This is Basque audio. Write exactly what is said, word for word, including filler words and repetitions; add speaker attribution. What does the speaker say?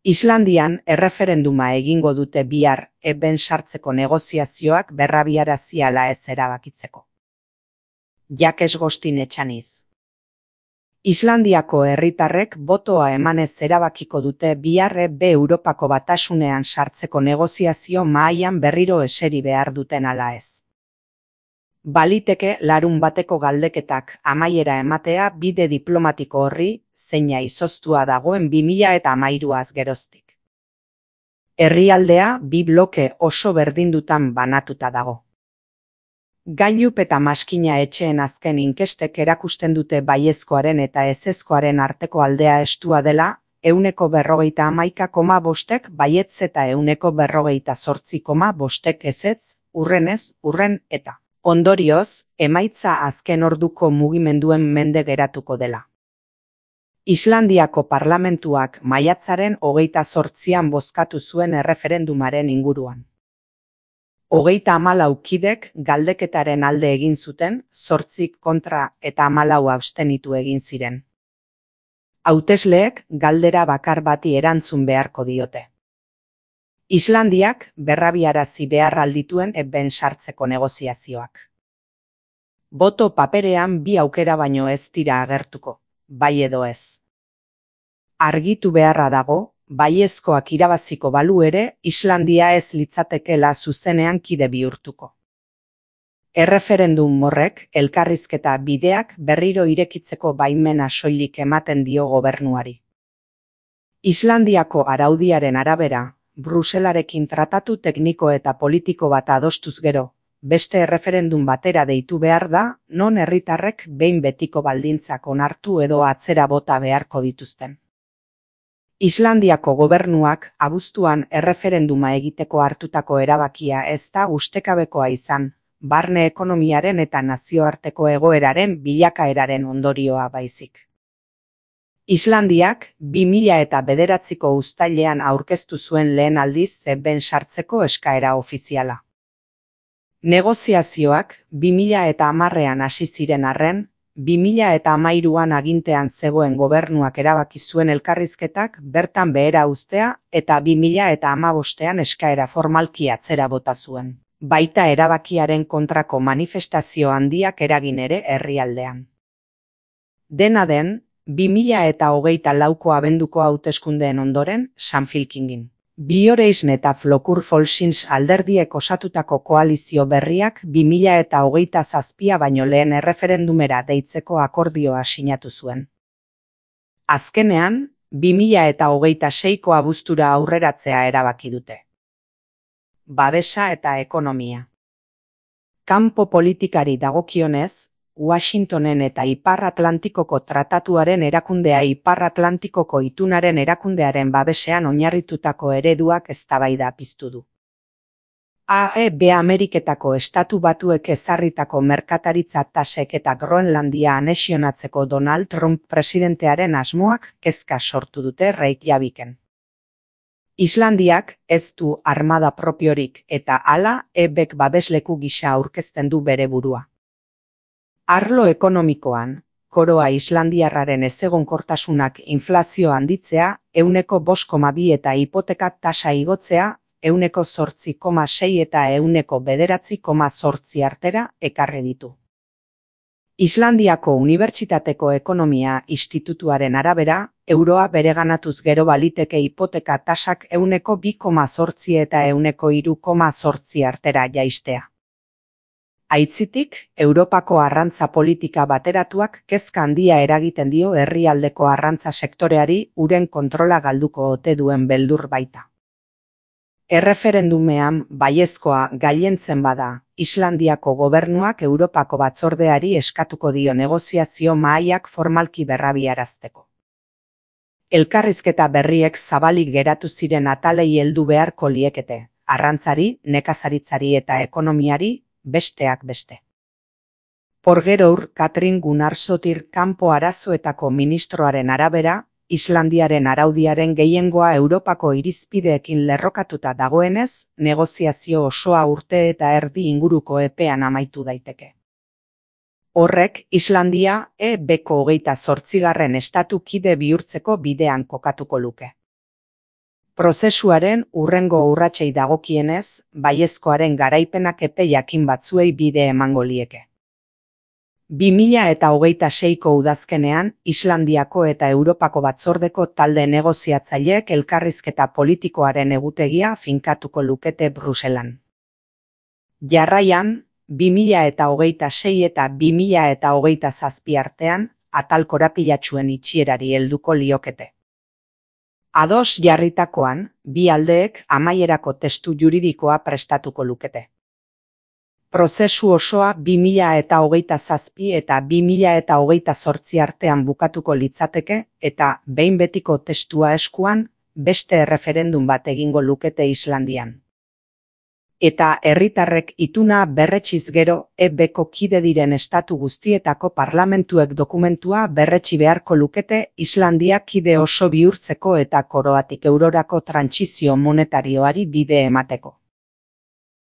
Speaker 1: Islandian erreferenduma egingo dute bihar eben sartzeko negoziazioak berrabiarazi ala ez erabakitzeko. Jakes Gostin Etxaniz. Islandiako herritarrek botoa emanez erabakiko dute bihar be Europako Batasunean sartzeko negoziazio mahaian berriro eseri behar duten ala ez. Baliteke larun bateko galdeketak amaiera ematea bide diplomatiko horri, zeina izoztua dagoen bi mila hamairuaz geroztik. Herrialdea bi bloke oso berdindutan banatuta dago. Gailup eta maskina etxeen azken inkestek erakusten dute baiezkoaren eta ezezkoaren arteko aldea estua dela, ehuneko berrogeita hamaika koma bostek baietz eta ehuneko berrogeita zortzi koma bostek ezetz, urrenez, urren eta. Ondorioz, emaitza azken orduko mugimenduen mende geratuko dela. Islandiako parlamentuak maiatzaren hogeita zortzian bozkatu zuen erreferendumaren inguruan. Hogeita hamalau kidek galdeketaren alde egin zuten, zortzik kontra eta hamalau abstenitu egin ziren. Hautesleek galdera bakar bati erantzun beharko diote. Islandiak berrabiarazi behar aldituen eben sartzeko negoziazioak. Boto paperean bi aukera baino ez dira agertuko, bai edo ez. Argitu beharra dago, baiezkoak irabaziko balu ere, Islandia ez litzatekeela zuzenean kide bihurtuko. Erreferendum horrek elkarrizketa bideak berriro irekitzeko baimena soilik ematen dio gobernuari. Islandiako araudiaren arabera, Bruselarekin tratatu tekniko eta politiko bat adostuz gero, beste erreferendum batera deitu behar da, non herritarrek behin betiko baldintzak onartu edo atzera bota beharko dituzten. Islandiako gobernuak abuztuan erreferenduma egiteko hartutako erabakia ez da ustekabekoa izan, barne ekonomiaren eta nazioarteko egoeraren bilakaeraren ondorioa baizik. Islandiak bi mila eta bederatziko uztailean aurkeztu zuen lehen aldiz eben sartzeko eskaera ofiziala. Negoziazioak bi mila eta hamarrean hasi ziren arren, bi mila eta hamairuan agintean zegoen gobernuak erabaki zuen elkarrizketak bertan behera uztea eta bi mila eta hamabostean eskaera formalki atzera bota zuen. Baita erabakiaren kontrako manifestazio handiak eragin ere herrialdean. Dena den, bi mila eta hogeita lauko abenduko hauteskundeen ondoren, Samfylkingin. Bioreisn eta Flokur Folksins alderdiek osatutako koalizio berriak bi mila eta hogeita zazpia baino lehen erreferendumera deitzeko akordioa sinatu zuen. Azkenean, bi mila eta hogeita seiko abuztura aurreratzea erabaki dute. Babesa eta ekonomia. Kanpo politikari dagokionez, Washingtonen eta Ipar Atlantikoko Tratatuaren erakundea Ipar Atlantikoko itunaren erakundearen babesean oinarritutako ereduak eztabaida piztu du. A E B Ameriketako Estatu Batuek ezarritako merkataritza tasek eta Groenlandia anexionatzeko Donald Trump presidentearen asmoak kezka sortu dute Reykjaviken. Islandiak ez du armada propiorik eta hala E Bk babesleku gisa aurkezten du bere burua. Arlo ekonomikoan, koroa islandiarraren ezegonkortasunak inflazio handitzea, ehuneko bost koma bi eta hipoteka tasa igotzea, ehuneko zortzi koma sei eta ehuneko bederatzi koma zortzi artera ekarri ditu. Islandiako Unibertsitateko Ekonomia Institutuaren arabera, euroa bereganatuz gero baliteke hipoteka tasak ehuneko bi koma zortzi eta ehuneko hiru koma zortzi artera jaistea. Aitzitik, Europako arrantza politika bateratuak kezka handia eragiten dio herrialdeko arrantza sektoreari uren kontrola galduko ote duen beldur baita. Erreferendumean baiezkoa gailentzen bada, Islandiako gobernuak Europako batzordeari eskatuko dio negoziazio mahaiak formalki berrabiarazteko. Elkarrizketa berriek zabalik geratu ziren atalei heldu beharko liekete, arrantzari, nekazaritzari eta ekonomiari, besteak beste. Porgerour Katrin Gunnarsdóttir kanpo arazoetako ministroaren arabera, Islandiaren araudiaren gehiengoa Europako irizpideekin lerrokatuta dagoenez, negoziazio osoa urte eta erdi inguruko epean amaitu daiteke. Horrek Islandia E Bko hogeita zortzigarren estatu kide bihurtzeko bidean kokatuko luke. Prozesuaren hurrengo urratsei dagokienez, baiezkoaren garaipenak epe jakin batzuei bide emango lieke. bi mila eta hogeita seiko udazkenean, Islandiako eta Europako batzordeko talde negoziatzaileek elkarrizketa politikoaren egutegia finkatuko lukete Bruselan. Jarraian, bi mila eta hogeita sei eta bi mila eta hogeita zazpi artean, atal korapilatsuen itxierari helduko liokete. Ados jarritakoan, bi aldeek amaierako testu juridikoa prestatuko lukete. Prozesu osoa bi mila eta hogeita zazpi eta bi mila eta hogeita zortzi artean bukatuko litzateke eta behin betiko testua eskuan beste erreferendum bat egingo lukete Islandian. Eta herritarrek ituna berretsiz gero E Bko kide diren estatu guztietako parlamentuek dokumentua berretsi beharko lukete Islandia kide oso bihurtzeko eta koroatik eurorako trantsizio monetarioari bide emateko.